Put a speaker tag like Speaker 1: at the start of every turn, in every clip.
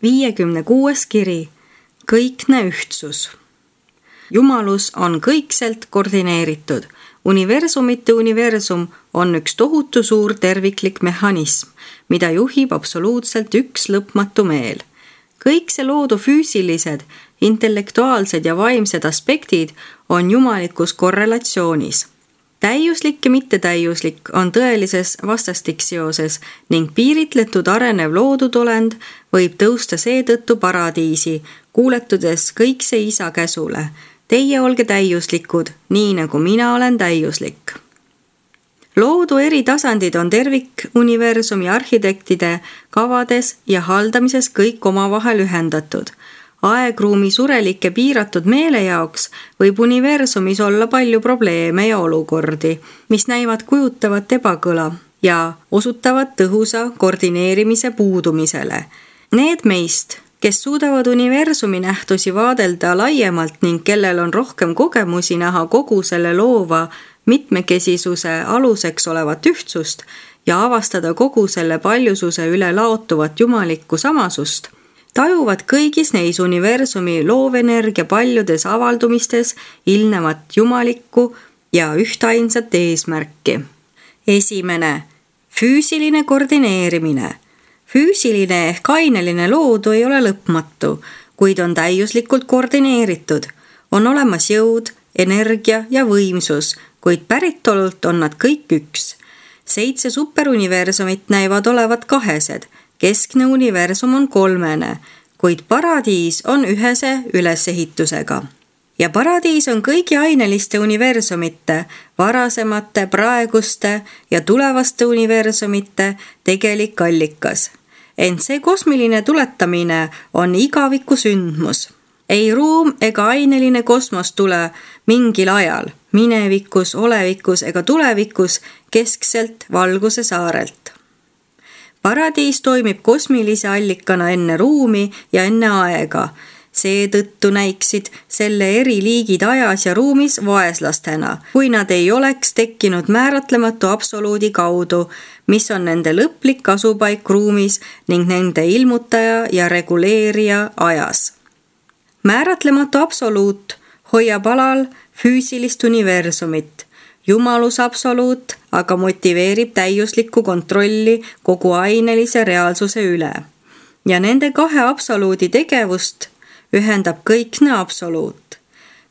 Speaker 1: 56. kiri. Kõikne ühtsus. Jumalus on kõikselt koordineeritud. Universumite universum on üks tohutu suur terviklik mehhanism, mida juhib absoluutselt üks lõpmatu meel. Kõik see loodu füüsilised, intellektuaalsed ja vaimsed aspektid on jumalikus korrelatsioonis. Täiuslik ja mittetäiuslik on tõelises vastastikseoses ning piiritletud arenev loodudolend võib tõusta seetõttu paradiisi, kuuletudes kõikse isa käsule. Teie olge täiuslikud, nii nagu mina olen täiuslik. Loodu eri tasandid on tervikuniversumi arhitektide kavades ja haldamises kõik omavahel ühendatud. Aegruumi surelike piiratud meele jaoks võib universumis olla palju probleeme ja olukordi, mis näivad kujutavat ebakõla ja osutavad tõhusa koordineerimise puudumisele. Need meist, kes suudavad universumi nähtusi vaadelda laiemalt ning kellel on rohkem kogemusi näha kogu selle loova mitmekesisuse aluseks olevat ühtsust ja avastada kogu selle paljususe üle laotuvat jumalikku samasust, tajuvad kõigis neis universumi loovenergia paljudes avaldumistes ilmnevat jumalikku ja ühtainsat eesmärki. 1. Füüsiline koordineerimine. Füüsiline ehk aineline loodu ei ole lõpmatu, kuid on täiuslikult koordineeritud. On olemas jõud, energia ja võimsus, kuid päritolult on nad kõik üks. 7 superuniversumit näivad olevat kahesed. Keskne universum on 3, kuid paradiis on ühese ülesehitusega. Ja paradiis on kõigi aineliste universumite, varasemate, praeguste ja tulevaste universumite tegelik allikas. Ent see kosmiline tuletamine on igaviku sündmus. Ei ruum ega aineline kosmos tule mingil ajal, minevikus, olevikus ega tulevikus keskselt valguse saarelt. Paradiis toimib kosmilise allikana enne ruumi ja enne aega. Seetõttu näiksid selle eri liigid ajas ja ruumis vaeslastena, kui nad ei oleks tekkinud määratlematu absoluudi kaudu, mis on nende lõplik asupaik ruumis ning nende ilmutaja ja reguleerija ajas. Määratlematu absoluut hoiab alal füüsilist universumit. Jumalus absoluut aga motiveerib täiuslikku kontrolli kogu ainelise reaalsuse üle. Ja nende kahe absoluudi tegevust ühendab kõikne absoluut.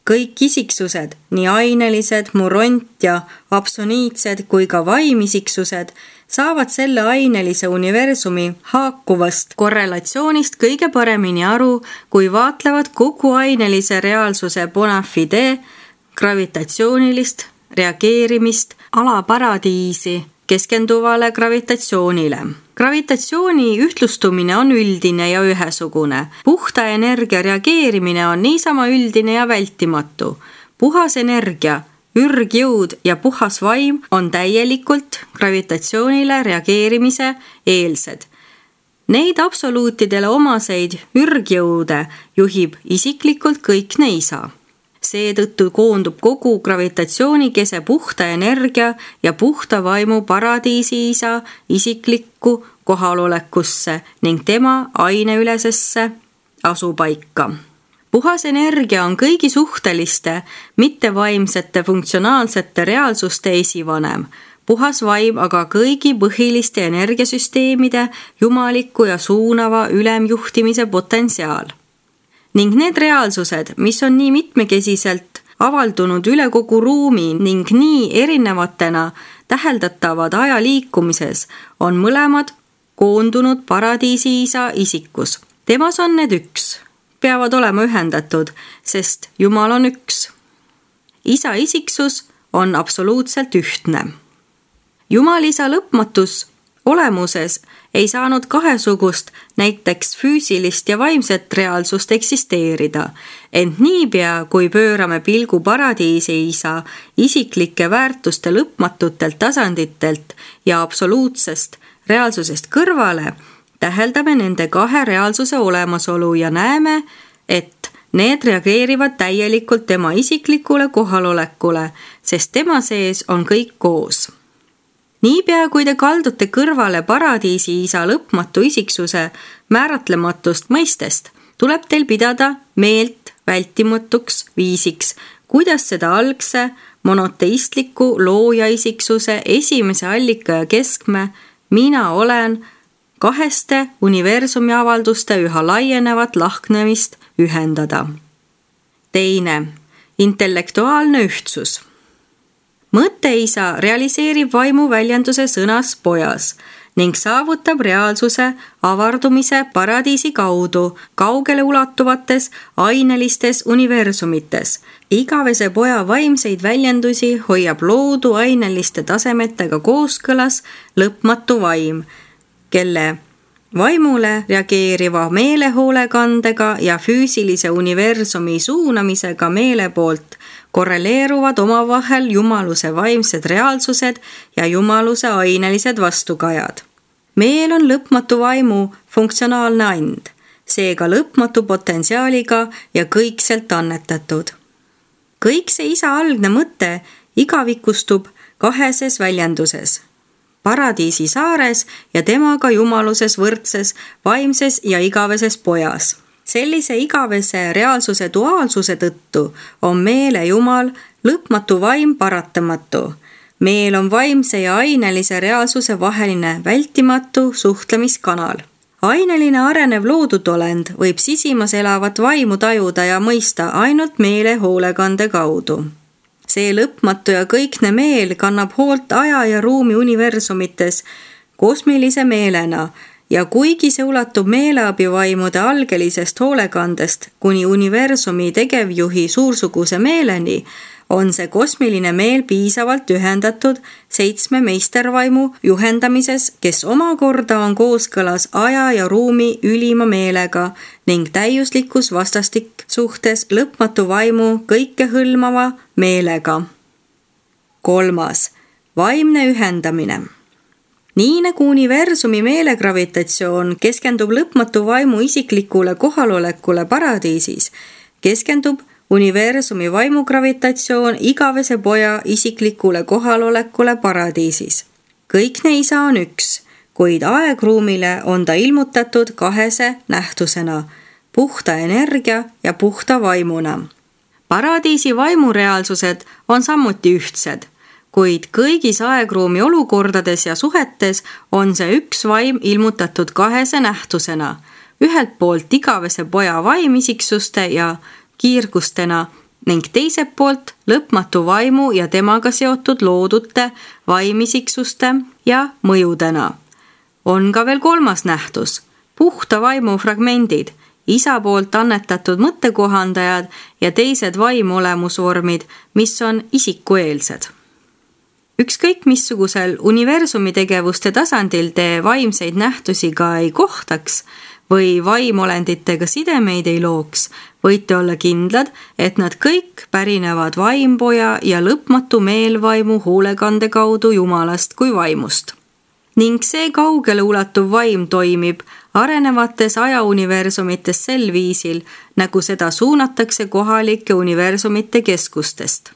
Speaker 1: Kõik isiksused, nii ainelised, muront ja absoniitsed kui ka vaimisiksused, saavad selle ainelise universumi haakuvast korrelatsioonist kõige paremini aru, kui vaatlevad kogu ainelise reaalsuse bona fide, gravitatsioonilist reageerimist alaparadiisi keskenduvale gravitatsioonile. Gravitatsiooni ühtlustumine on üldine ja ühesugune. Puhta energia reageerimine on niisama üldine ja vältimatu. Puhas energia, ürgjõud ja puhas vaim on täielikult gravitatsioonile reageerimise eelsed. Neid absoluutidele omaseid ürgjõude juhib isiklikult kõikne isa. Seetõttu koondub kogu gravitatsioonikese puhta energia ja puhta vaimu paradiisi isa isiklikku kohalolekusse ning tema aineülesesse asupaika. Puhas energia on kõigi suhteliste, mittevaimsete funktsionaalsete reaalsuste esivanem. Puhas vaim aga kõigi põhiliste energiasüsteemide jumaliku ja suunava ülemjuhtimise potentsiaal. Ning need reaalsused, mis on nii mitmekesiselt avaldunud üle kogu ruumi ning nii erinevatena täheldatavad aja liikumises, on mõlemad koondunud paradiisi isa isikus. Temas on need üks, peavad olema ühendatud, sest Jumal on üks. Isa isiksus on absoluutselt ühtne. Jumal isa lõpmatus olemuses ei saanud kahesugust, näiteks füüsilist ja vaimset reaalsust eksisteerida, ent niipea, kui pöörame pilgu paradiisi isa isiklike väärtuste lõpmatutelt tasanditelt ja absoluutsest reaalsusest kõrvale, täheldame nende kahe reaalsuse olemasolu ja näeme, et need reageerivad täielikult tema isiklikule kohalolekule, sest tema sees on kõik koos. Niipea, kui te kaldute kõrvale paradiisi isa lõpmatu isiksuse määratlematust mõistest, tuleb teil pidada meelt vältimatuks viisiks, kuidas seda algse monoteistliku looja isiksuse esimese allika ja keskme mina olen kaheste universumi avalduste üha laienevat lahknemist ühendada. Teine, intellektuaalne ühtsus. Mõtteisa realiseerib vaimu väljenduse sõnas pojas ning saavutab reaalsuse avardumise paradiisi kaudu kaugele ulatuvates ainelistes universumites. Igavese poja vaimseid väljendusi hoiab loodu aineliste tasemetega kooskõlas lõpmatu vaim, kelle vaimule reageeriva meelehoolekandega ja füüsilise universumi suunamisega meele poolt korreleeruvad omavahel jumaluse vaimsed reaalsused ja jumaluse ainelised vastukajad. Meel on lõpmatu vaimu funktsionaalne and, seega lõpmatu potentsiaaliga ja kõikselt annetatud. Kõik see isa algne mõte igavikustub kaheses väljenduses. Paradiisi saares ja temaga jumaluses võrdses vaimses ja igaveses pojas. Sellise igavese reaalsuse duaalsuse tõttu on meele jumal lõpmatu vaim paratamatu. Meel on vaimse ja ainelise reaalsuse vaheline vältimatu suhtlemiskanal. Aineline arenev loodud olend võib sisimas elavat vaimu tajuda ja mõista ainult meele hoolekande kaudu. See lõpmatu ja kõikne meel kannab hoolt aja ja ruumi universumites kosmilise meelena ja kuigi see ulatub meeleabivaimude algelisest hoolekandest kuni universumi tegevjuhi suursuguse meeleni, on see kosmiline meel piisavalt ühendatud 7 meistervaimu juhendamises, kes omakorda on kooskõlas aja ja ruumi ülima meelega ning täiuslikus vastastik suhtes lõpmatu vaimu kõikehõlmava meelega. 3. Vaimne ühendamine. Nii nagu universumi meelegravitatsioon keskendub lõpmatu vaimu isiklikule kohalolekule paradiisis, keskendub universumi vaimugravitatsioon igavese poja isiklikule kohalolekule paradiisis. Kõikne isa on üks, kuid aegruumile on ta ilmutatud kahese nähtusena, puhta energia ja puhta vaimuna. Paradiisi vaimureaalsused on samuti ühtsed, kuid kõigis aegruumi olukordades ja suhetes on see üks vaim ilmutatud kahese nähtusena, ühelt poolt igavese poja vaimisiksuste ja kiirgustena ning teiselt poolt lõpmatu vaimu ja temaga seotud loodute vaimisiksuste ja mõjudena. On ka veel 3. nähtus, puhta vaimu fragmendid, isa poolt annetatud mõttekohandajad ja teised vaimuolemusvormid, mis on isikueelsed. Ükskõik missugusel universumi tegevuste tasandil te vaimseid nähtusi ka ei kohtaks või vaimolenditega sidemeid ei looks, võite olla kindlad, et nad kõik pärinevad vaimpoja ja lõpmatu meelvaimu hoolekande kaudu jumalast kui vaimust. Ning see kaugele ulatuv vaim toimib arenevates ajauniversumites sel viisil, nagu seda suunatakse kohalike universumite keskustest.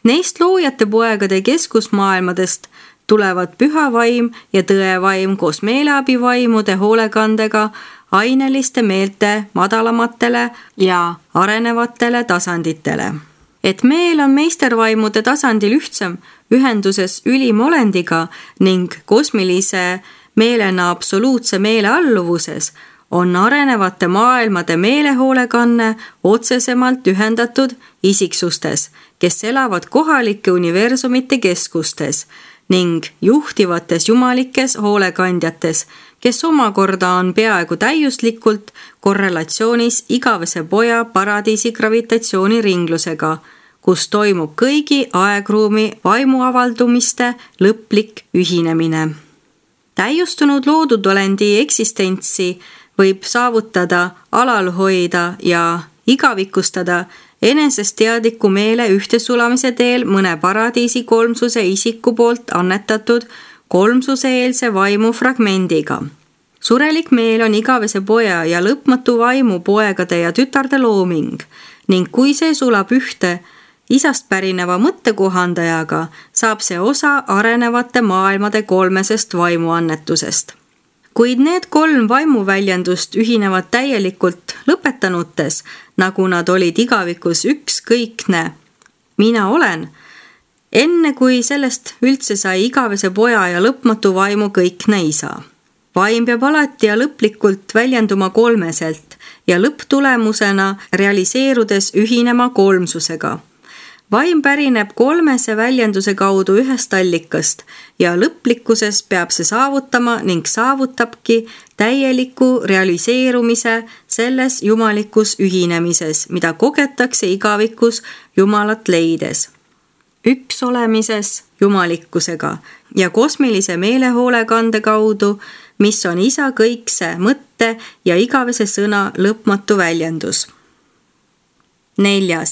Speaker 1: Neist loojate poegade keskusmaailmadest tulevad püha vaim ja tõevaim koos meeleabivaimude hoolekandega aineliste meelte madalamatele ja arenevatele tasanditele. Et meel on meistervaimude tasandil ühtsem ühenduses ülimolendiga ning kosmilise meelena absoluutse meele alluvuses, on arenevate maailmade meelehoolekanne otsesemalt ühendatud isiksustes, kes elavad kohalike universumite keskustes ning juhtivates jumalikes hoolekandjates, kes omakorda on peaaegu täiuslikult korrelatsioonis igavese poja paradiisi gravitatsiooniringlusega, kus toimub kõigi aegruumi vaimuavaldumiste lõplik ühinemine. Täiustunud loodudolendi eksistentsi võib saavutada, alal hoida ja igavikustada enesest teadliku meele ühtesulamise teel mõne paradiisi kolmsuse isiku poolt annetatud kolmsuseeelse vaimu fragmendiga. Surelik meel on igavese poja ja lõpmatu vaimu poegade ja tütarde looming ning kui see sulab ühte isast pärineva mõttekohandajaga saab see osa arenevate maailmade kolmesest vaimuannetusest. Kuid need 3 vaimuväljendust ühinevad täielikult lõpetanutes, nagu nad olid igavikus ükskõikne mina olen, enne kui sellest üldse sai igavese poja ja lõpmatu vaimu kõikne isa. Vaim peab alati ja lõplikult väljenduma kolmeselt ja lõpptulemusena realiseerudes ühinema kolmsusega. Vaim pärineb kolmese väljenduse kaudu ühest allikast ja lõplikkuses peab see saavutama ning saavutabki täieliku realiseerumise selles jumalikus ühinemises, mida kogetakse igavikus Jumalat leides. Üks olemises jumalikkusega ja kosmilise meelehoolekande kaudu, mis on isa kõikse mõtte ja igavese sõna lõpmatu väljendus. 4.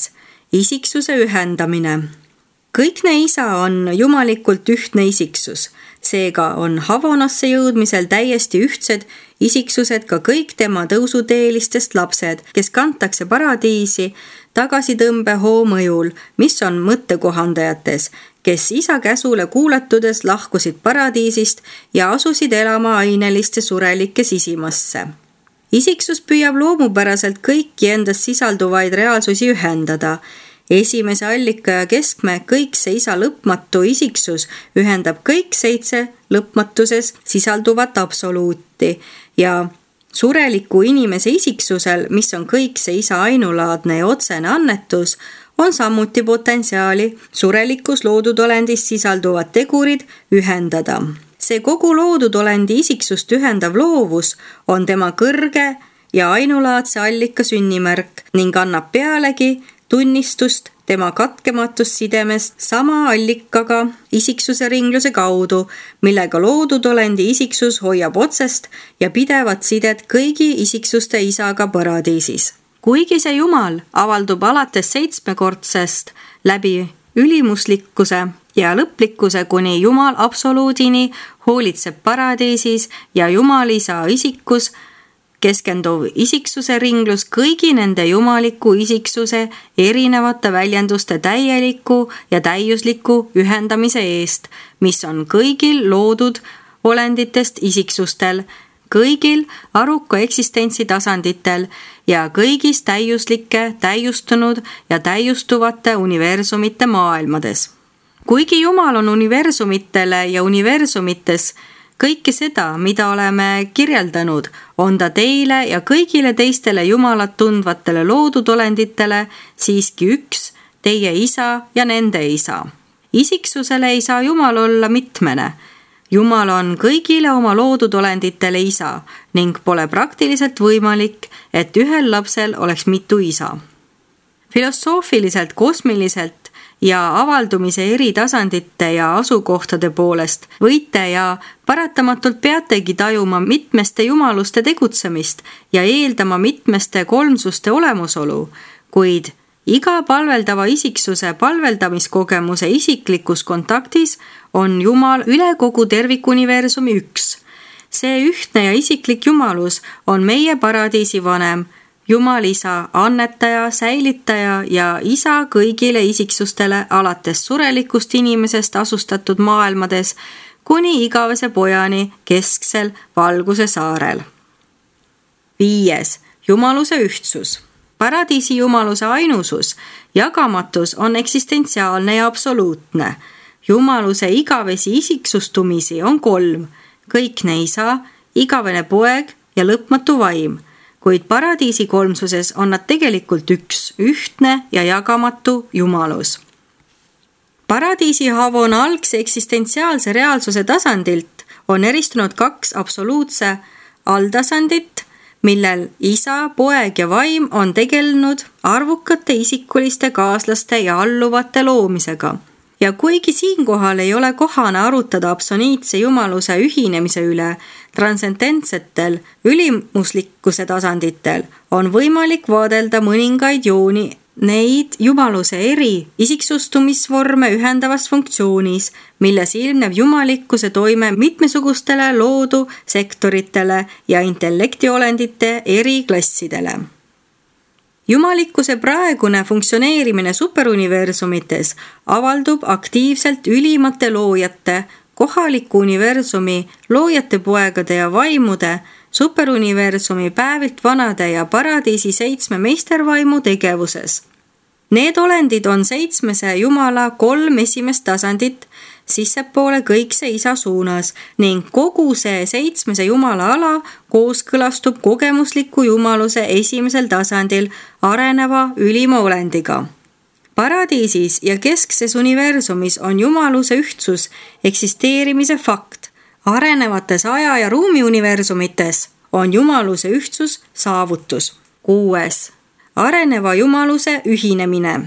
Speaker 1: Isiksuse ühendamine. Kõikne isa on jumalikult ühtne isiksus, seega on Havonasse jõudmisel täiesti ühtsed isiksused ka kõik tema tõusuteelistest lapsed, kes kantakse paradiisi tagasitõmbehoo mõjul, mis on mõttekohandajates, kes isa käsule kuulatudes lahkusid paradiisist ja asusid elama aineliste surelike sisimasse. Isiksus püüab loomupäraselt kõiki endas sisalduvaid reaalsusi ühendada. Esimese allika ja keskme kõikse isa lõpmatu isiksus ühendab kõik 7 lõpmatuses sisalduvat absoluuti ja sureliku inimese isiksusel, mis on kõikse isa ainulaadne ja otsene annetus, on samuti potentsiaali surelikus loodudolendis sisalduvad tegurid ühendada. See kogu loodudolendi isiksust ühendav loovus on tema kõrge ja ainulaadse allika sünnimärk ning annab pealegi tunnistust tema katkematust sidemest sama allikaga isiksuse ringluse kaudu, millega loodudolendi isiksus hoiab otsest ja pidevat sidet kõigi isiksuste isaga paradiisis. Kuigi see Jumal avaldub alates 7-kordsest läbi ülimuslikkuse ja lõplikkuse kuni Jumal absoluudini hoolitseb paradiisis ja Jumal isa isikus, keskenduv isiksuse ringlus kõigi nende jumaliku isiksuse erinevate väljenduste täieliku ja täiusliku ühendamise eest, mis on kõigil loodud olenditest isiksustel, kõigil aruka eksistentsi tasanditel ja kõigis täiuslike, täiustunud ja täiustuvate universumite maailmades. Kuigi Jumal on universumitele ja universumites kõike seda, mida oleme kirjeldanud, on ta teile ja kõigile teistele Jumalat tundvatele loodudolenditele siiski üks, teie isa ja nende isa. Isiksusele ei saa Jumal olla mitmene. Jumal on kõigile oma loodudolenditele isa ning pole praktiliselt võimalik, et ühel lapsel oleks mitu isa. Filosoofiliselt, kosmiliselt ja avaldumise eri tasandite ja asukohtade poolest võite ja paratamatult peategi tajuma mitmeste jumaluste tegutsemist ja eeldama mitmeste kolmsuste olemusolu, kuid iga palveldava isiksuse palveldamiskogemuse isiklikus kontaktis on Jumal üle kogu tervikuniversumi üks. See ühtne ja isiklik jumalus on meie paradiisi vanem, Jumal isa, annetaja, säilitaja ja isa kõigile isiksustele alates surelikust inimesest asustatud maailmades kuni igavese pojani kesksel valguse saarel. 5. Jumaluse ühtsus. Paradiisi jumaluse ainusus, jagamatus on eksistentsiaalne ja absoluutne. Jumaluse igavesi isiksustumisi on 3, kõikne isa, igavene poeg ja lõpmatu vaim. Kuid paradiisi kolmsuses on nad tegelikult üks, ühtne ja jagamatu jumalus. Paradiisi Havon algse eksistentsiaalse reaalsuse tasandilt on eristunud 2 absoluutse alltasandit, millel isa, poeg ja vaim on tegelenud arvukate isikuliste kaaslaste ja alluvate loomisega. Ja kuigi siinkohal ei ole kohane arutada absoluutse jumaluse ühinemise üle transcendentsetel ülimuslikkuse tasanditel, on võimalik vaadelda mõningaid jooni neid jumaluse eri isiksustumisvorme ühendavas funktsioonis, milles ilmneb jumalikkuse toime mitmesugustele loodu sektoritele ja intellektiolendite eri klassidele. Jumalikkuse praegune funktsioneerimine superuniversumites avaldub aktiivselt ülimate loojate, kohaliku universumi, loojate poegade ja vaimude, superuniversumi päevilt vanade ja paradiisi 7 meistervaimu tegevuses. Need olendid on 7 Jumala 3 esimest tasandit sissepoole kõikse Isa suunas ning kogu see 7 Jumala ala kooskõlastub kogemusliku jumaluse esimesel tasandil areneva ülima olendiga. Paradiisis ja keskses universumis on jumaluse ühtsus eksisteerimise fakt. Arenevates aja- ja ruumiuniversumites on jumaluse ühtsus saavutus. 6. Areneva jumaluse ühinemine.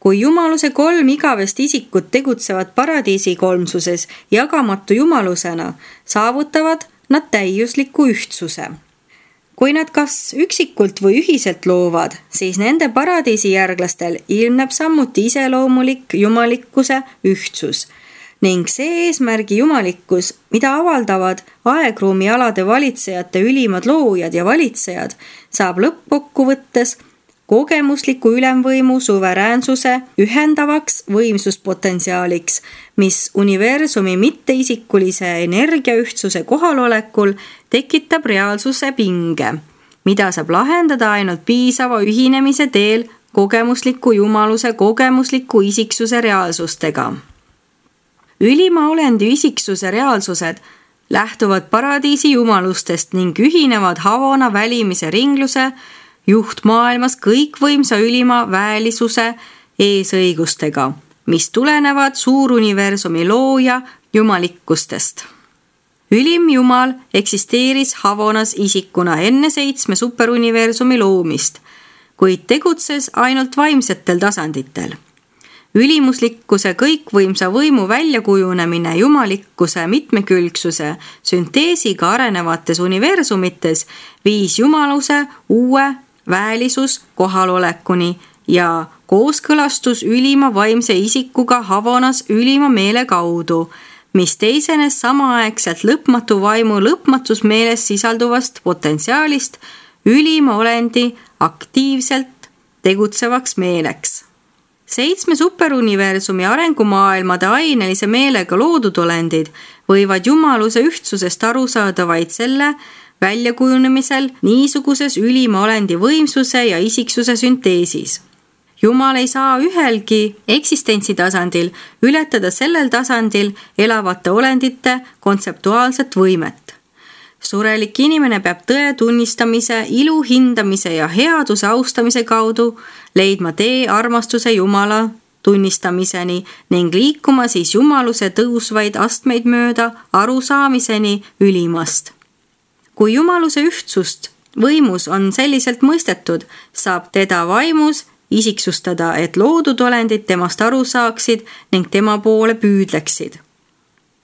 Speaker 1: Kui jumaluse 3 igavest isikut tegutsevad paradiisi kolmsuses jagamatu jumalusena, saavutavad nad täiusliku ühtsuse. Kui nad kas üksikult või ühiselt loovad, siis nende paradiisijärglastel ilmneb samuti iseloomulik jumalikkuse ühtsus ning see eesmärgi jumalikkus, mida avaldavad aegruumi alade valitsejate ülimad loojad ja valitsejad, saab lõppkokkuvõttes kogemusliku ülemvõimu suveräänsuse ühendavaks võimsuspotentsiaaliks, mis universumi mitteisikulise energiaühtsuse kohalolekul tekitab reaalsuse pinge, mida saab lahendada ainult piisava ühinemise teel kogemusliku jumaluse kogemusliku isiksuse reaalsustega. Ülima olendi isiksuse reaalsused lähtuvad paradiisi jumalustest ning ühinevad Havona välimise ringluse juhtmaailmas kõikvõimsa ülima väelisuse eesõigustega, mis tulenevad suuruniversumi looja jumalikkustest. Ülim Jumal eksisteeris Havonas isikuna enne 7 superuniversumi loomist, kuid tegutses ainult vaimsetel tasanditel. Ülimuslikkuse kõikvõimsa võimu väljakujunemine jumalikkuse mitmekülgsuse sünteesiga arenevates universumites viis jumaluse uue väelisus kohalolekuni ja kooskõlastus ülima vaimse isikuga Havonas ülima meele kaudu, mis teisenes samaaegselt lõpmatu vaimu lõpmatus meeles sisalduvast potentsiaalist ülima olendi aktiivselt tegutsevaks meeleks. 7 superuniversumi arengumaailmade ainelise meelega loodud olendid võivad jumaluse ühtsusest aru saada vaid selle väljakujunemisel niisuguses ülima olendi võimsuse ja isiksuse sünteesis. Jumal ei saa ühelgi eksistentsitasandil ületada sellel tasandil elavate olendite kontseptuaalset võimet. Surelik inimene peab tõe tunnistamise, ilu hindamise ja headuse austamise kaudu leidma tee armastuse Jumala tunnistamiseni ning liikuma siis jumaluse tõusvaid astmeid mööda arusaamiseni ülimast. Kui jumaluse ühtsust võimus on selliselt mõistetud, saab teda vaimus isiksustada, et loodud olendid temast aru saaksid ning tema poole püüdleksid.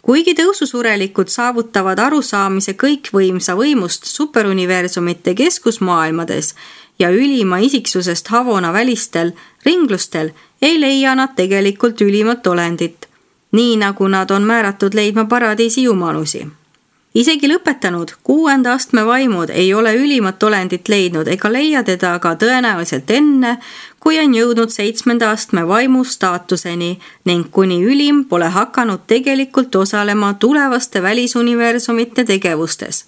Speaker 1: Kuigi tõususurelikud saavutavad arusaamise kõikvõimsa võimust superuniversumite keskusmaailmades ja ülima isiksusest Havona välistel ringlustel, ei leia nad tegelikult ülimat olendit, nii nagu nad on määratud leidma paradiisi jumalusi. Isegi lõpetanud 6. astme vaimud ei ole ülimat olendit leidnud ega leia teda aga tõenäoliselt enne, kui on jõudnud 7. astme vaimu staatuseni ning kuni ülim pole hakanud tegelikult osalema tulevaste välisuniversumite tegevustes.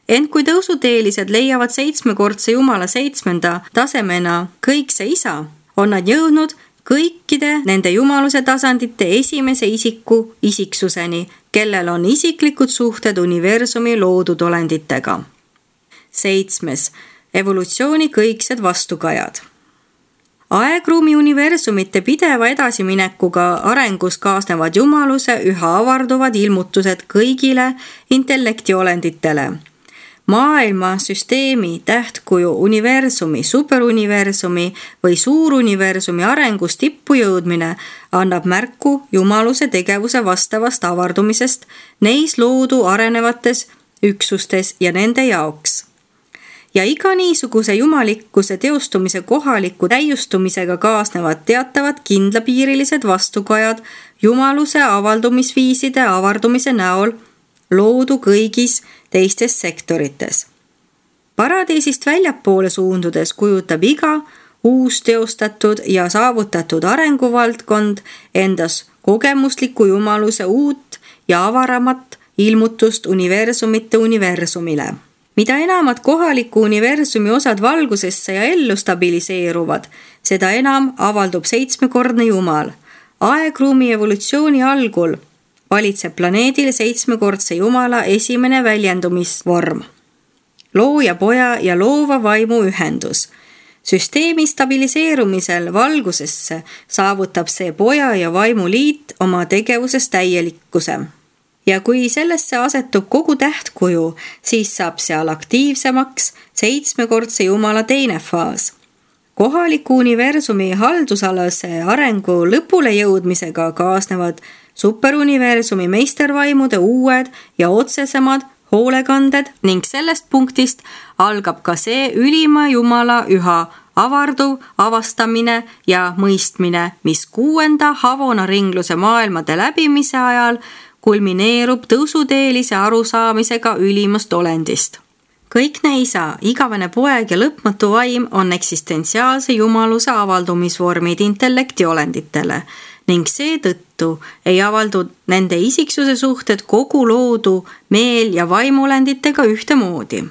Speaker 1: Ent kui tõusuteelised leiavad 7-kordse Jumala 7. tasemena kõikse Isa, on nad jõudnud kõikide nende jumaluse tasandite esimese isiku isiksuseni, kellel on isiklikud suhted universumi loodud olenditega. 7. Evolutsiooni kõiksed vastukajad. Aegruumi universumite pideva edasiminekuga arengus kaasnevad jumaluse üha avarduvad ilmutused kõigile intellektiolenditele. Maailma, süsteemi, tähtkuju, universumi, superuniversumi või suuruniversumi arengus tippu jõudmine annab märku jumaluse tegevuse vastavast avardumisest neis loodu arenevates üksustes ja nende jaoks. Ja iga niisuguse jumalikkuse teostumise kohaliku täiustumisega kaasnevad teatavad kindlapiirilised vastukajad jumaluse avaldumisviiside avardumise näol loodu kõigis teistes sektorites. Paradiisist väljapoole suundudes kujutab iga uus teostatud ja saavutatud arenguvaldkond endas kogemusliku jumaluse uut ja avaramat ilmutust universumite universumile. Mida enamad kohaliku universumi osad valgusesse ja ellu stabiliseeruvad, seda enam avaldub seitsmekordne Jumal. Aegruumi evolutsiooni algul valitseb planeedil seitsmekordse Jumala esimene väljendumisvorm. Looja poja ja loova vaimu ühendus. Süsteemi stabiliseerumisel valgusesse saavutab see poja ja vaimu liit oma tegevuses täielikkuse. Ja kui sellesse asetub kogu tähtkuju, siis saab seal aktiivsemaks seitsmekordse Jumala teine faas. Kohaliku universumi haldusalase arengu lõpule jõudmisega kaasnevad superuniversumi meistervaimude uued ja otsesemad hoolekanded ning sellest punktist algab ka see ülima Jumala üha avarduv avastamine ja mõistmine, mis 6. Havona ringluse maailmade läbimise ajal kulmineerub tõusuteelise arusaamisega ülimast olendist. Kõikne isa, igavene poeg ja lõpmatu vaim on eksistentsiaalse jumaluse avaldumisvormid intellektiolenditele ning seetõttu ei avaldu nende isiksuse suhted kogu loodu meel- ja vaimulenditega ühtemoodi.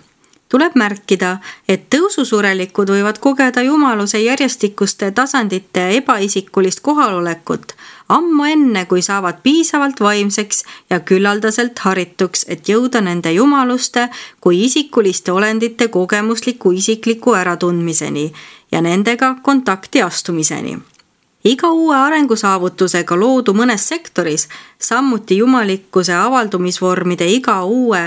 Speaker 1: Tuleb märkida, et tõususurelikud võivad kogeda jumaluse järjestikuste tasandite ebaisikulist kohalolekut ammu enne, kui saavad piisavalt vaimseks ja küllaldaselt harituks, et jõuda nende jumaluste kui isikuliste olendite kogemusliku isikliku äratundmiseni ja nendega kontakti astumiseni. Iga uue arengusaavutusega loodu mõnes sektoris, samuti jumalikkuse avaldumisvormide iga uue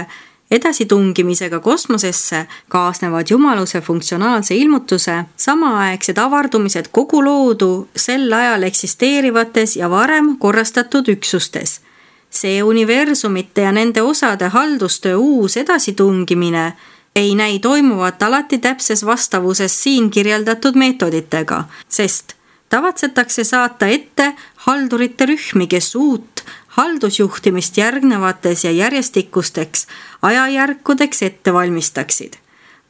Speaker 1: edasitungimisega kosmosesse kaasnevad jumaluse funktsionaalse ilmutuse samaaegsed avardumised kogu loodu sel ajal eksisteerivates ja varem korrastatud üksustes. See universumite ja nende osade haldustöö uus edasitungimine ei näi toimuvat alati täpses vastavuses siin kirjeldatud meetoditega, sest tavatsetakse saata ette haldurite rühmi, kes uut haldusjuhtimist järgnevates ja järjestikusteks ajajärkudeks ette valmistaksid.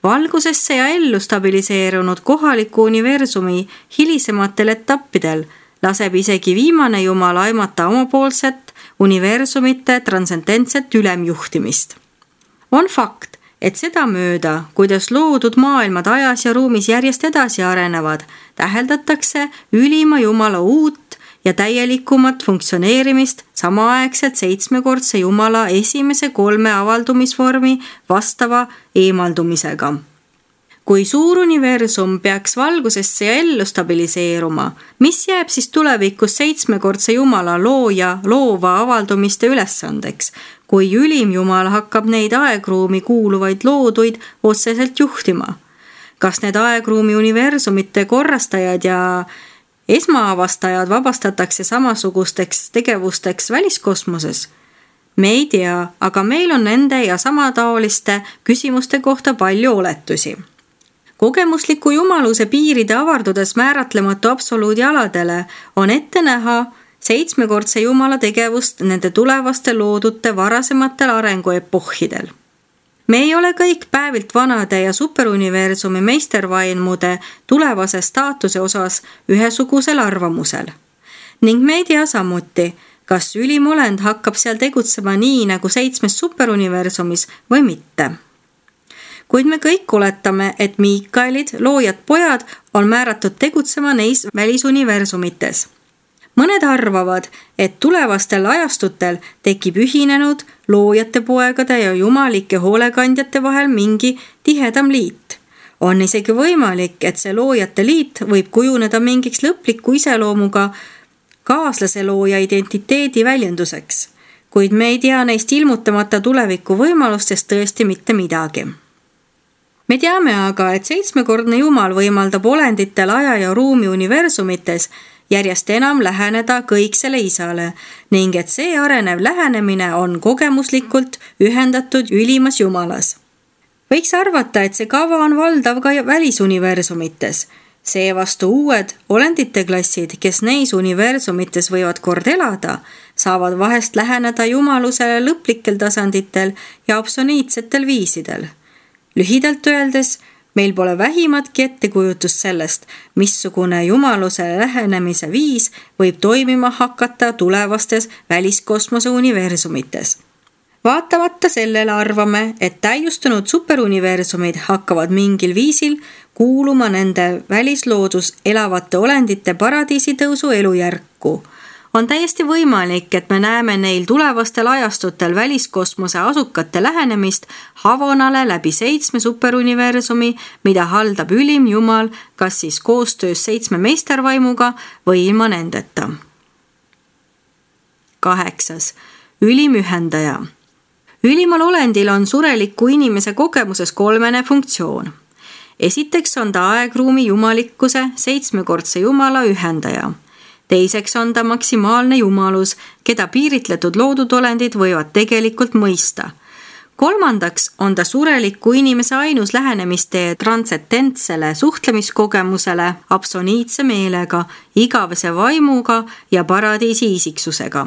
Speaker 1: Valgusesse ja ellu stabiliseerunud kohaliku universumi hilisematel etappidel laseb isegi viimane Jumal aimata omapoolset universumite transcendentset ülemjuhtimist. On fakt, et seda mööda, kuidas loodud maailmad ajas ja ruumis järjest edasi arenevad, täheldatakse ülima Jumala uut ja täielikumat funktsioneerimist samaaegselt seitsmekordse Jumala esimese 3 avaldumisvormi vastava eemaldumisega. Kui suur universum peaks valgusesse ja ellu stabiliseeruma, mis jääb siis tulevikus seitsmekordse Jumala looja loova avaldumiste ülesandeks, kui ülim Jumal hakkab neid aegruumi kuuluvaid looduid otseselt juhtima? Kas need aegruumi universumite korrastajad ja esmaavastajad vabastatakse samasugusteks tegevusteks väliskosmoses? Me ei tea, aga meil on nende ja samataoliste küsimuste kohta palju oletusi. Kogemusliku jumaluse piiride avardudes määratlematu absoluudi aladele on ette näha seitsmekordse Jumala tegevust nende tulevaste loodute varasematel arenguepohhidel. Me ei ole kõik päevilt vanade ja superuniversumi meistervaimude tulevase staatuse osas ühesugusel arvamusel. Ning me ei tea samuti, kas ülimolend hakkab seal tegutsema nii nagu 7 superuniversumis või mitte. Kuid me kõik oletame, et Miikaelid, loojad pojad, on määratud tegutsema neis välisuniversumites. Mõned arvavad, et tulevastel ajastutel tekib ühinenud loojate poegade ja jumalike hoolekandjate vahel mingi tihedam liit. On isegi võimalik, et see loojate liit võib kujuneda mingiks lõpliku iseloomuga kaaslase looja identiteedi väljenduseks, kuid me ei tea neist ilmutamata tuleviku võimalustest tõesti mitte midagi. Me teame aga, et 7-kordne Jumal võimaldab olenditel aja ja ruumi universumites järjest enam läheneda kõiksele isale ning et see arenev lähenemine on kogemuslikult ühendatud ülimas Jumalas. Võiks arvata, et see kava on valdav ka välisuniversumites. Seevastu uued olendite klassid, kes neis universumites võivad kord elada, saavad vahest läheneda Jumalusele lõplikel tasanditel ja absoliitsetel viisidel. Lühidalt öeldes, meil pole vähimatki ettekujutust sellest, missugune jumalusele lähenemise viis võib toimima hakata tulevastes väliskosmose universumites. Vaatamata sellele arvame, et täiustunud superuniversumid hakkavad mingil viisil kuuluma nende välisloodus elavate olendite paradiisitõusu elujärku. On täiesti võimalik, et me näeme neil tulevastel ajastutel väliskosmose asukate lähenemist Havonale läbi 7 superuniversumi, mida haldab ülim jumal, kas siis koostöös 7 meistervaimuga või ilma nendeta. 8. Ülim ühendaja. Ülimal olendil on sureliku inimese kogemuses 3 funktsioon. Esiteks on ta aegruumi jumalikkuse 7-kordse jumala ühendaja. Teiseks on ta maksimaalne jumalus, keda piiritletud loodud olendid võivad tegelikult mõista. Kolmandaks on ta sureliku inimese ainus lähenemistee transcendentsele suhtlemiskogemusele absoniitse meelega, igavese vaimuga ja paradiisi isiksusega.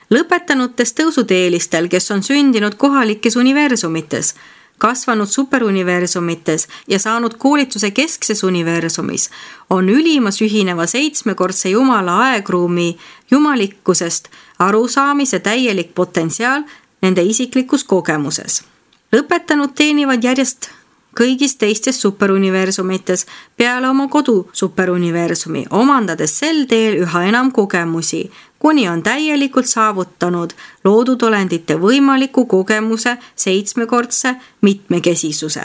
Speaker 1: Lõpetanutes tõusuteelistel, kes on sündinud kohalikes universumites, kasvanud superuniversumites ja saanud koolituse keskses universumis, on ülimas ühineva 7-kordse jumala aegruumi jumalikkusest arusaamise täielik potentsiaal nende isiklikus kogemuses. Lõpetanud teenivad järjest kõigis teistes superuniversumites peale oma kodu superuniversumi, omandades sel teel üha enam kogemusi, kuni on täielikult saavutanud loodud olendite võimaliku kogemuse 7-kordse mitmekesisuse.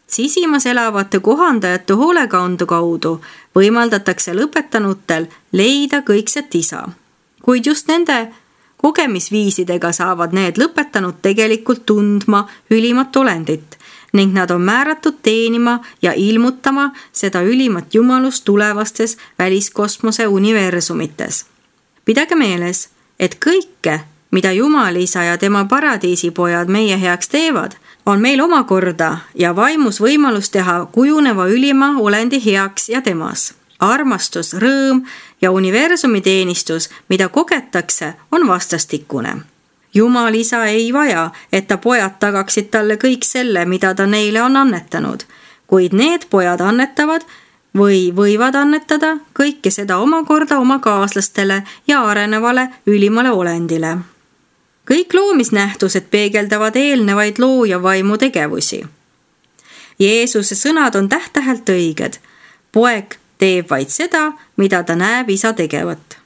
Speaker 1: Sisimas elavate kohandajate hoolekandu kaudu võimaldatakse lõpetanutel leida kõikset isa. Kuid just nende kogemisviisidega saavad need lõpetanud tegelikult tundma ülimat olendit ning nad on määratud teenima ja ilmutama seda ülimat jumalust tulevastes väliskosmose universumites. Pidage meeles, et kõike, mida Jumal isa ja tema paradiisipojad meie heaks teevad, on meil omakorda ja vaimus võimalus teha kujuneva ülima olendi heaks ja temas. Armastus, rõõm ja universumi teenistus, mida kogetakse, on vastastikune. Jumal isa ei vaja, et ta pojad tagaksid talle kõik selle, mida ta neile on annetanud, kuid need pojad annetavad või võivad annetada kõike seda omakorda oma kaaslastele ja arenevale ülimale olendile. Kõik loomisnähtused peegeldavad eelnevaid looja vaimu tegevusi. Jeesuse sõnad on täht-tähelt õiged. Poeg teeb vaid seda, mida ta näeb isa tegevat.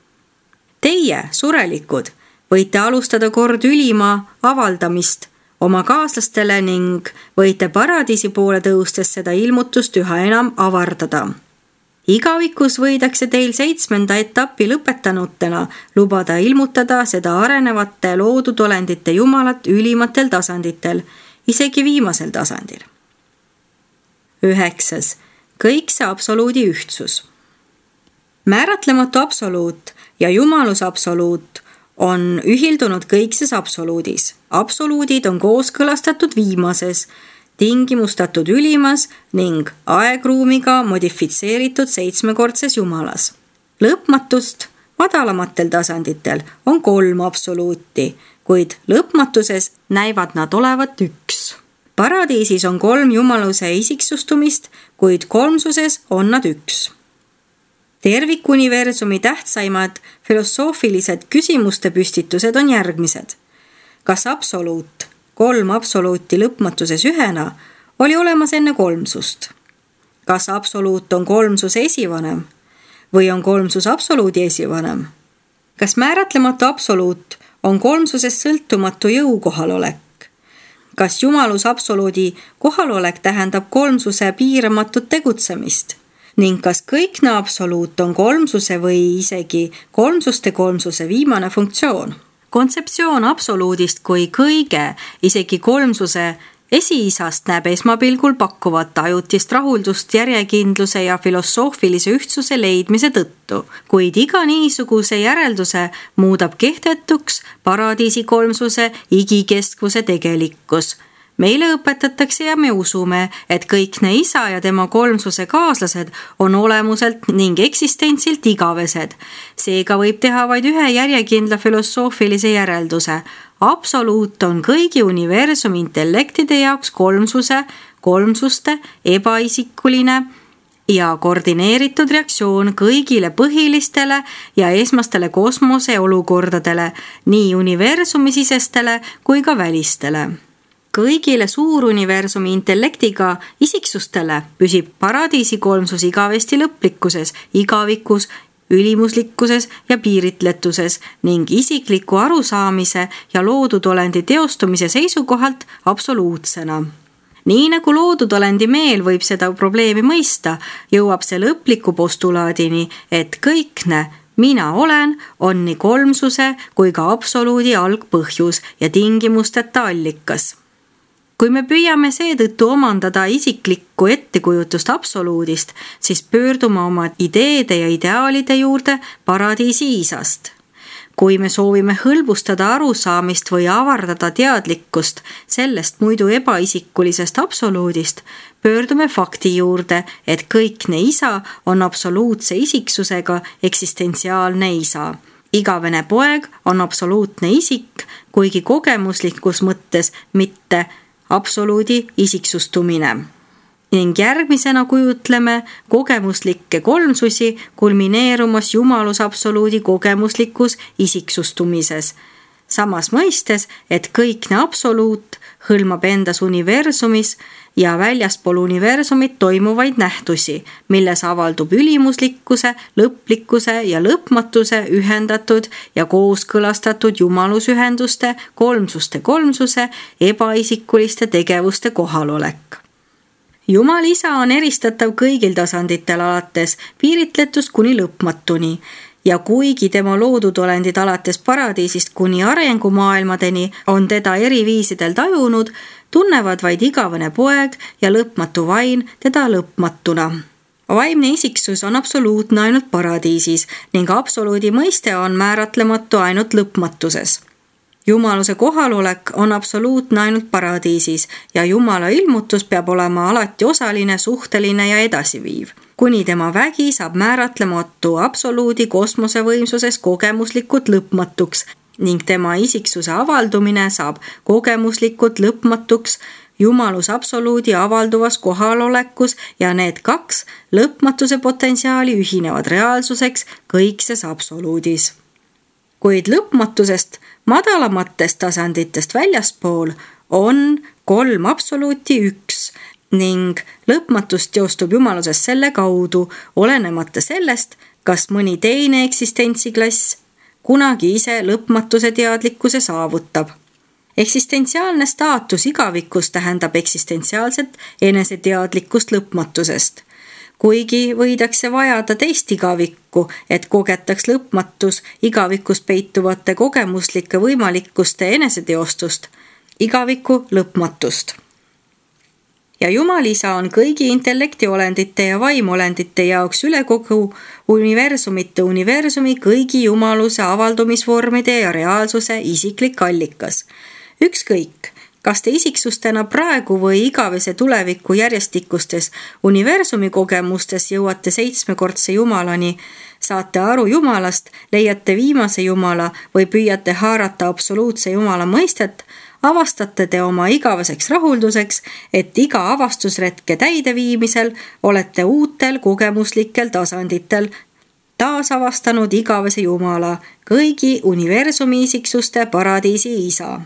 Speaker 1: Teie, surelikud, võite alustada kord ülima avaldamist oma kaaslastele ning võite paradiisi poole tõustes seda ilmutust üha enam avardada. Igavikus võidakse teil 7. etappi lõpetanutena lubada ilmutada seda arenevate loodud olendite jumalat ülimatel tasanditel, isegi viimasel tasandil. 9. Kõikse absoluudi ühtsus. Määratlematu absoluut ja jumalus absoluut on ühildunud kõikses absoluudis. Absoluudid on kooskõlastatud viimases, tingimustatud ülimas ning aegruumiga modifitseeritud 7-kordses jumalas. Lõpmatust madalamatel tasanditel on 3 absoluuti, kuid lõpmatuses näivad nad olevat 1. Paradiisis on 3 jumaluse isiksustumist, kuid kolmsuses on nad 1. Tervikuniversumi tähtsaimad filosoofilised küsimuste püstitused on järgmised. Kas absoluut, 3 absoluuti lõpmatuses ühena, oli olemas enne kolmsust? Kas absoluut on kolmsuse esivanem või on kolmsus absoluudi esivanem? Kas määratlematu absoluut on kolmsusest sõltumatu jõu kohalolek? Kas jumalus absoluudi kohalolek tähendab kolmsuse piiramatut tegutsemist? Ning kas kõikne absoluut on kolmsuse või isegi kolmsuste kolmsuse viimane funktsioon? Kontseptsioon absoluudist kui kõige, isegi kolmsuse esiisast näeb esmapilgul pakkuvat ajutist rahuldust järjekindluse ja filosoofilise ühtsuse leidmise tõttu, kuid iga niisuguse järelduse muudab kehtetuks paradiisi kolmsuse igikestvuse tegelikkus, Meile õpetatakse ja me usume, et kõikne isa ja tema kolmsuse kaaslased on olemuselt ning eksistentsilt igavesed. Seega võib teha vaid ühe järjekindla filosoofilise järelduse. Absoluut on kõigi universumi intellektide jaoks kolmsuste, ebaisikuline ja koordineeritud reaktsioon kõigile põhilistele ja esmastele kosmose olukordadele, nii universumisisestele kui ka välistele. Kõigile suuruniversumi intellektiga isiksustele püsib paradiisi kolmsus igavesti lõplikkuses, igavikus, ülimuslikkuses ja piiritletuses ning isikliku arusaamise ja loodud olendi teostumise seisukohalt absoluutsena. Nii nagu loodud olendi meel võib seda probleemi mõista, jõuab see lõpliku postulaadini, et kõikne mina olen on nii kolmsuse kui ka absoluudi algpõhjus ja tingimusteta allikas. Kui me püüame seetõttu omandada isiklikku ettekujutust absoluudist, siis pöördume oma ideede ja ideaalide juurde paradiisi isast. Kui me soovime hõlbustada arusaamist või avardada teadlikkust sellest muidu ebaisikulisest absoluudist, pöördume fakti juurde, et kõikne isa on absoluutse isiksusega eksistentsiaalne isa. Igavene poeg on absoluutne isik, kuigi kogemuslikus mõttes mitte absoluudi isiksustumine. Ning järgmisena kujutleme kogemuslikke kolmsusi kulmineerumas jumalus absoluudi kogemuslikus isiksustumises. Samas mõistes, et kõikne absoluut hõlmab endas universumis ja väljaspool universumit toimuvaid nähtusi, milles avaldub ülimuslikkuse, lõplikkuse ja lõpmatuse ühendatud ja kooskõlastatud jumalusühenduste, kolmsuse, ebaisikuliste tegevuste kohalolek. Jumal isa on eristatav kõigil tasanditel alates piiritletust kuni lõpmatuni ja kuigi tema loodud olendid alates paradiisist kuni arengumaailmadeni on teda eri viisidel tajunud, tunnevad vaid igavene poeg ja lõpmatu vaim teda lõpmatuna. Vaimne isiksus on absoluutne ainult paradiisis ning absoluudi mõiste on määratlematu ainult lõpmatuses. Jumaluse kohalolek on absoluutne ainult paradiisis ja Jumala ilmutus peab olema alati osaline, suhteline ja edasiviiv. Kuni tema vägi saab määratlematu absoluudi kosmosevõimsuses kogemuslikult lõpmatuks ning tema isiksuse avaldumine saab kogemuslikult lõpmatuks Jumalus absoluudi avalduvas kohalolekus ja need kaks lõpmatuse potentsiaali ühinevad reaalsuseks kõikses absoluudis. Kuid lõpmatusest madalamatest tasanditest väljaspool on 3 absoluuti 1 ning lõpmatus teostub jumaluses selle kaudu, olenemata sellest, kas mõni teine eksistentsiklass kunagi ise lõpmatuse teadlikkuse saavutab. Eksistentsiaalne staatus igavikus tähendab eksistentsiaalset eneseteadlikkust lõpmatusest. Kuigi võidakse vajada teist igavikku, et kogetaks lõpmatus igavikus peituvate kogemuslike võimalikkuste eneseteostust, igaviku lõpmatust. Ja Jumal isa on kõigi intellektiolendite ja vaimolendite jaoks üle kogu universumi kõigi jumaluse avaldumisvormide ja reaalsuse isiklik allikas. Ükskõik, kas te isiksustena praegu või igavese tuleviku järjestikustes universumi kogemustes jõuate 7-kordse Jumalani, saate aru Jumalast, leiate viimase Jumala või püüate haarata absoluutse Jumala mõistet, avastate te oma igaveseks rahulduseks, et iga avastusretke täideviimisel olete uutel kogemuslikel tasanditel taasavastanud igavese Jumala, kõigi universumi isiksuste paradiisi isa.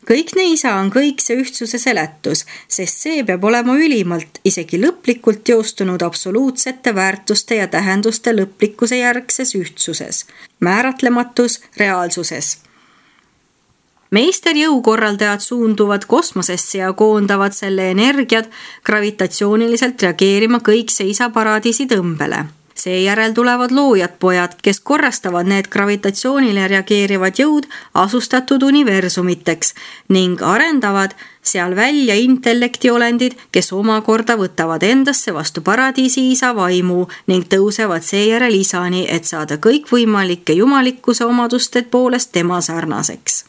Speaker 1: Kõikne isa on kõikse ühtsuse seletus, sest see peab olema ülimalt, isegi lõplikult teostunud absoluutsete väärtuste ja tähenduste lõplikkuse järgses ühtsuses, määratlematus reaalsuses. Meisterjõukorraldajad suunduvad kosmosesse ja koondavad selle energiat gravitatsiooniliselt reageerima kõikse isa paradiisi tõmbele. Seejärel tulevad loojad pojad, kes korrastavad need gravitatsioonile reageerivad jõud asustatud universumiteks ning arendavad seal välja intellektiolendid, kes omakorda võtavad endasse vastu paradiisi isa vaimu ning tõusevad seejärel isani, et saada kõikvõimalike jumalikkuse omaduste poolest tema sarnaseks.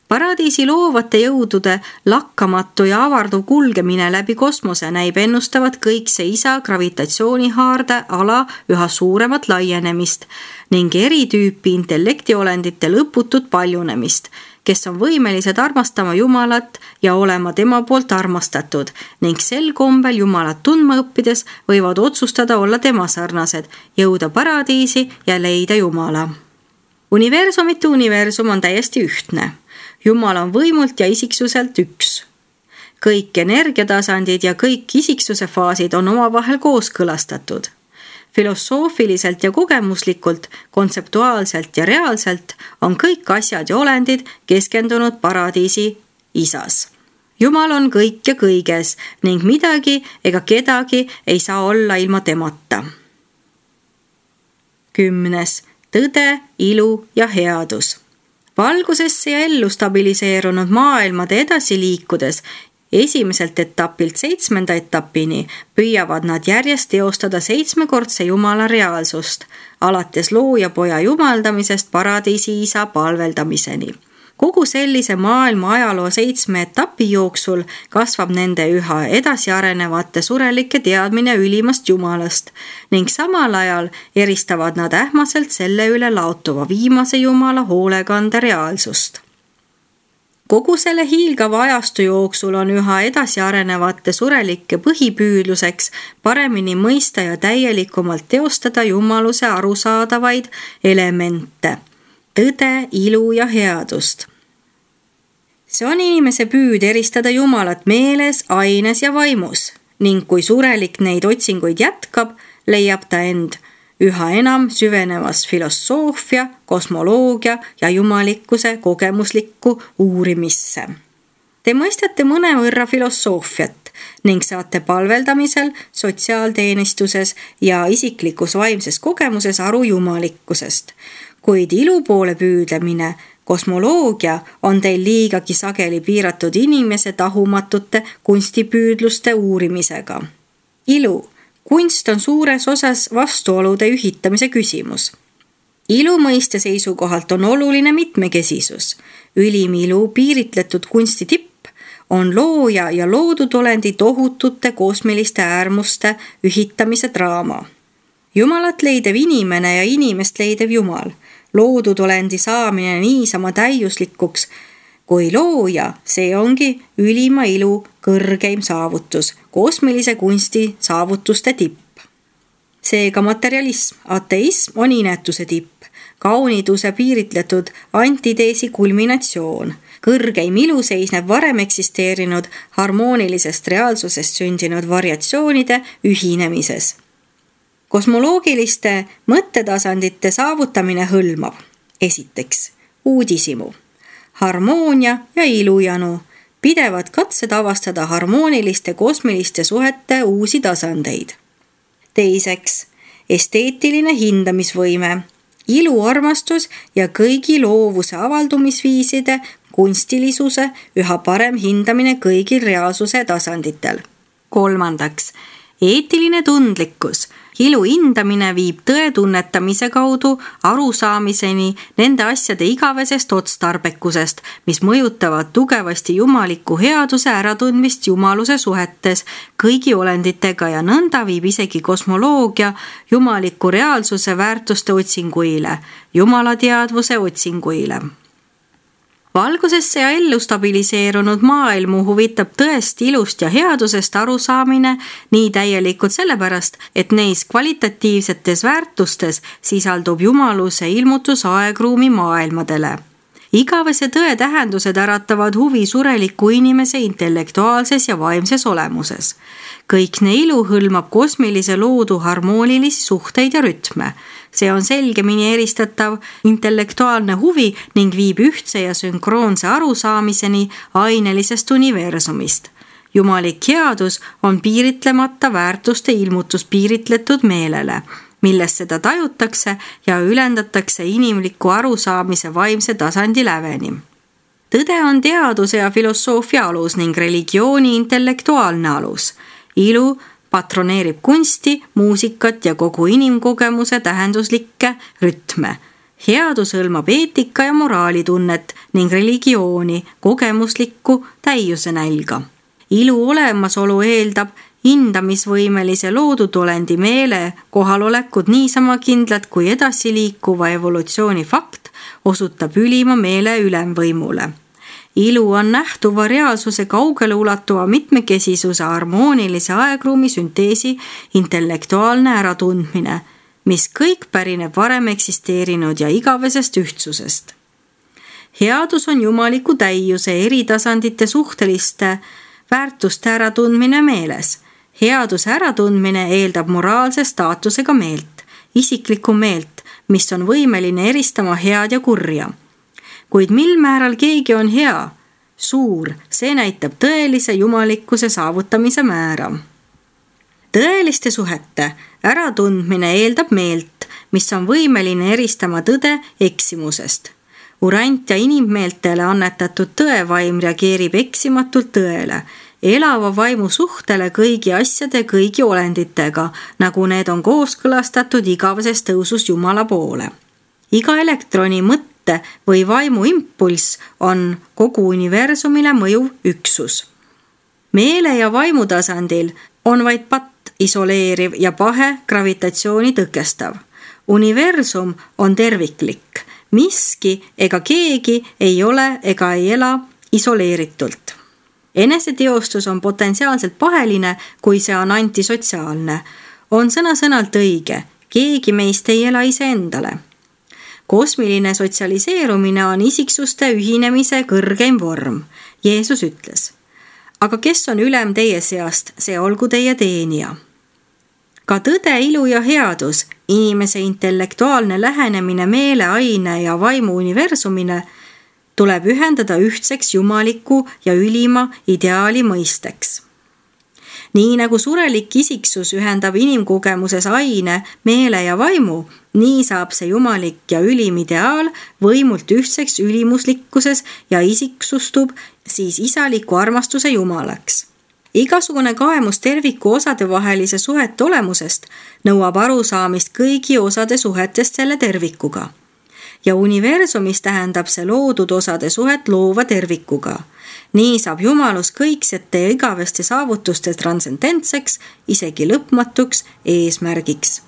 Speaker 1: Paradiisi loovate jõudude lakkamatu ja avarduv kulgemine läbi kosmose näib ennustavat kõikse isa gravitatsioonihaarde ala üha suuremat laienemist ning eritüüpi intellektiolendite lõputut paljunemist, kes on võimelised armastama Jumalat ja olema tema poolt armastatud ning sel kombel Jumalat tundma õppides võivad otsustada olla tema sarnased, jõuda paradiisi ja leida Jumala. Universumite universum on täiesti ühtne. Jumal on võimult ja isiksuselt üks. Kõik energiatasandid ja kõik isiksuse faasid on omavahel kooskõlastatud. Filosoofiliselt ja kogemuslikult, kontseptuaalselt ja reaalselt on kõik asjad ja olendid keskendunud paradiisi isas. Jumal on kõik ja kõiges ning midagi ega kedagi ei saa olla ilma temata. 10. Tõde, ilu ja headus. Valgusesse ja ellu stabiliseerunud maailmade edasi liikudes esimeselt etapilt 7. etapini püüavad nad järjest teostada 7-kordse Jumala reaalsust, alates loojapoja jumaldamisest paradiisi isa palveldamiseni. Kogu sellise maailma ajaloo 7 etapi jooksul kasvab nende üha edasi arenevate surelike teadmine ülimast Jumalast ning samal ajal eristavad nad ähmaselt selle üle laotuva viimase Jumala hoolekande reaalsust. Kogu selle hiilgava ajastu jooksul on üha edasi arenevate surelike põhipüüdluseks paremini mõista ja täielikumalt teostada jumaluse arusaadavaid elemente, tõde, ilu ja headust. See on inimese püüd eristada Jumalat meeles, aines ja vaimus ning kui surelik neid otsinguid jätkab, leiab ta end üha enam süvenevas filosoofia, kosmoloogia ja jumalikkuse kogemuslikku uurimisse. Te mõistate mõnevõrra filosoofiat ning saate palveldamisel, sotsiaalteenistuses ja isiklikus vaimses kogemuses aru jumalikkusest, kuid ilu poole püüdlemine, kosmoloogia on teil liigagi sageli piiratud inimese tahumatute kunstipüüdluste uurimisega. Ilu. Kunst on suures osas vastuolude ühitamise küsimus. Ilu mõiste seisukohalt on oluline mitmekesisus. Ülim ilu piiritletud kunsti tipp on looja ja loodud olendi tohutute kosmiliste äärmuste ühitamise draama. Jumalat leidev inimene ja inimest leidev Jumal. Loodud olendi saamine niisama täiuslikuks kui looja, see ongi ülima ilu kõrgeim saavutus, kosmilise kunsti saavutuste tipp. Seega materialism, ateism on inetuse tipp, kauniduse piiritletud antiteesi kulminatsioon. Kõrgeim ilu seisneb varem eksisteerinud harmoonilisest reaalsusest sündinud variatsioonide ühinemises. Kosmoloogiliste mõttetasandite saavutamine hõlmab esiteks uudisimu, harmoonia ja ilujanu, pidevad katsed avastada harmooniliste kosmiliste suhete uusi tasandeid. Teiseks, esteetiline hindamisvõime, iluarmastus ja kõigi loovuse avaldumisviiside kunstilisuse üha parem hindamine kõigil reaalsuse tasanditel. Kolmandaks, eetiline tundlikkus. Ilu hindamine viib tõe tunnetamise kaudu arusaamiseni nende asjade igavesest otstarbekusest, mis mõjutavad tugevasti jumaliku headuse äratundmist jumaluse suhetes kõigi olenditega ja nõnda viib isegi kosmoloogia jumaliku reaalsuse väärtuste otsinguile, jumalateadvuse otsinguile. Valgusesse ja ellu stabiliseerunud maailmu huvitab tõest ilust ja headusest arusaamine nii täielikult sellepärast, et neis kvalitatiivsetes väärtustes sisaldub jumaluse ilmutus aegruumi maailmadele. Igavese tõe tähendused äratavad huvi sureliku inimese intellektuaalses ja vaimses olemuses. Kõikne ilu hõlmab kosmilise loodu harmoonilisi suhteid ja rütme. See on selgemini eristatav intellektuaalne huvi ning viib ühtse ja sünkroonse arusaamiseni ainelisest universumist. Jumalik headus on piiritlemata väärtuste ilmutus piiritletud meelele, milles seda tajutakse ja ülendatakse inimliku arusaamise vaimse tasandi läveni. Tõde on teaduse ja filosoofia alus ning religiooni intellektuaalne alus. Ilu patroneerib kunsti, muusikat ja kogu inimkogemuse tähenduslikke rütme. Headus hõlmab eetika ja moraalitunnet ning religiooni, kogemuslikku täiuse nälga. Ilu olemasolu eeldab hindamisvõimelise loodutolendi meele kohalolekut niisama kindlat kui edasiliikuva evolutsiooni fakt osutab ülima meele ülemvõimule. Ilu on nähtuva reaalsuse kaugele ulatuva mitmekesisuse harmoonilise aegruumi sünteesi intellektuaalne äratundmine, mis kõik pärineb varem eksisteerinud ja igavesest ühtsusest. Headus on jumaliku täiuse eri tasandite suhteliste väärtuste äratundmine meeles. Headuse äratundmine eeldab moraalse staatusega meelt, isiklikku meelt, mis on võimeline eristama head ja kurja. Kuid mil määral keegi on hea, suur, see näitab tõelise jumalikkuse saavutamise määra. Tõeliste suhete äratundmine eeldab meelt, mis on võimeline eristama tõde eksimusest. Urant ja inimmeeltele annetatud tõevaim reageerib eksimatult tõele, elava vaimu suhtele kõigi asjade kõigi olenditega, nagu need on kooskõlastatud igaveses tõusus Jumala poole. Iga elektroni mõtte või vaimu impulss on kogu universumile mõjuv üksus. Meele ja vaimu tasandil on vaid patt isoleeriv ja pahe gravitatsiooni tõkestav. Universum on terviklik. Miski ega keegi ei ole ega ei ela isoleeritult. Eneseteostus on potentsiaalselt paheline, kui see on antisotsiaalne. On sõna-sõnalt õige, keegi meist ei ela iseendale. Kosmiline sotsialiseerumine on isiksuste ühinemise kõrgeim vorm. Jeesus ütles, aga kes on ülem teie seast, see olgu teie teenija. Ka tõde, ilu ja headus, inimese intellektuaalne lähenemine meele, aine ja vaimu universumine tuleb ühendada ühtseks jumaliku ja ülima ideaali mõisteks. Nii nagu surelik isiksus ühendab inimkogemuses aine, meele ja vaimu, nii saab see jumalik ja ülim ideaal võimult ühtseks ülimuslikkuses ja isiksustub siis isaliku armastuse jumalaks. Igasugune kaemus terviku osade vahelise suhete olemusest nõuab arusaamist kõigi osade suhetest selle tervikuga. Ja universumis tähendab see loodud osade suhet loova tervikuga. Nii saab jumalus kõiksete ja igaveste saavutuste transcendentseks, isegi lõpmatuks eesmärgiks.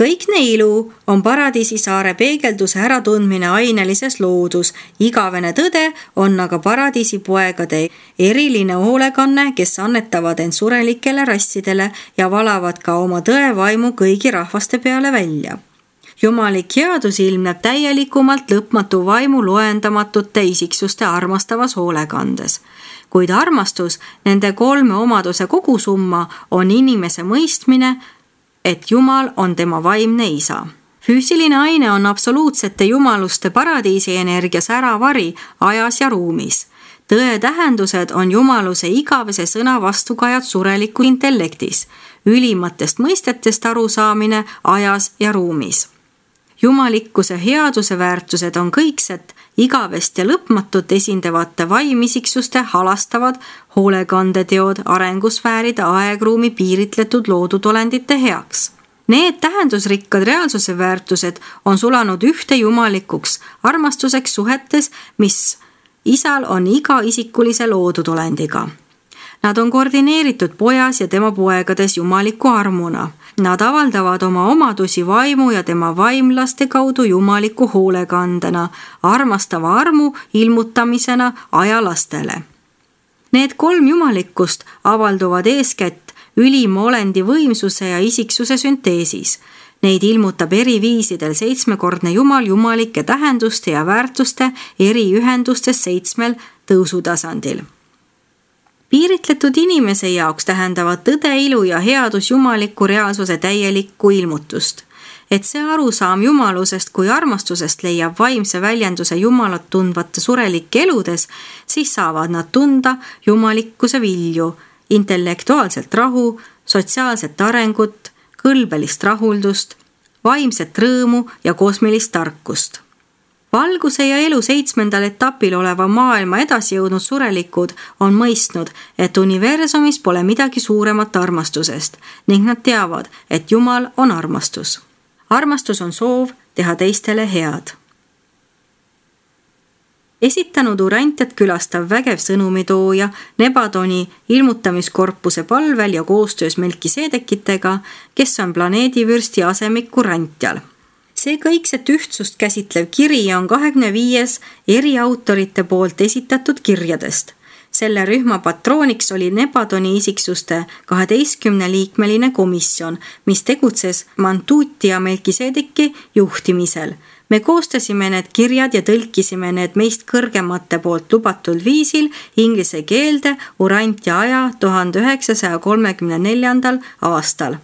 Speaker 1: Kõikne ilu on paradiisi saare peegelduse äratundmine ainelises loodus. Igavene tõde on aga paradiisi poegade eriline hoolekanne, kes annetavad end surelikele rassidele ja valavad ka oma tõevaimu kõigi rahvaste peale välja. Jumalik headus ilmneb täielikumalt lõpmatu vaimu loendamatute isiksuste armastavas hoolekandes. Kuid armastus, nende kolme omaduse kogusumma, on inimese mõistmine, et Jumal on tema vaimne isa. Füüsiline aine on absoluutsete jumaluste paradiisi energias äravari ajas ja ruumis. Tõe tähendused on jumaluse igavese sõna vastukajad sureliku intellektis, ülimatest mõistetest arusaamine ajas ja ruumis. Jumalikkuse headuse väärtused on kõikset, igavest ja lõpmatut esindavate vaimissiksuste halastavad hoolekandeteod arengusfääride aegruumi piiritletud loodutolendite heaks. Need tähendusrikkad reaalsuse väärtused on sulanud ühte jumalikuks armastuseks suhetes, mis isal on iga isikulise loodutolendiga. Nad on koordineeritud pojas ja tema poegades jumaliku armuna. Nad avaldavad oma omadusi vaimu ja tema vaimlaste kaudu jumaliku hoolekandena, armastava armu ilmutamisena ajalastele. Need kolm jumalikkust avalduvad eeskätt ülima olendi võimsuse ja isiksuse sünteesis. Neid ilmutab eri viisidel seitsmekordne Jumal jumalike tähenduste ja väärtuste eri ühendustes 7 tõusutasandil. Piiritletud inimese jaoks tähendavad tõde, ilu ja headus jumaliku reaalsuse täielikku ilmutust. Et see arusaam jumalusest kui armastusest leiab vaimse väljenduse jumalat tundvate surelike eludes, siis saavad nad tunda jumalikkuse vilju, intellektuaalselt rahu, sotsiaalset arengut, kõlbelist rahuldust, vaimset rõõmu ja kosmilist tarkust. Valguse ja elu 7. etapil oleva maailma edasi jõudnud surelikud on mõistnud, et universumis pole midagi suuremat armastusest ning nad teavad, et Jumal on armastus. Armastus on soov teha teistele head. esitanud Urantiat külastav vägev sõnumitooja Nebadoni ilmutamiskorpuse palvel ja koostöös Melkiseedekitega, kes on planeedivürsti asemik Urantial. See kõikset ühtsust käsitlev kiri on 25 eri autorite poolt esitatud kirjadest. Selle rühma patrooniks oli Nebadoni isiksuste 12-liikmeline komisjon, mis tegutses Mantuuti ja Melkiseedeki juhtimisel. Me koostasime need kirjad ja tõlkisime need meist kõrgemate poolt lubatud viisil inglise keelde Urantia aja 1934. aastal.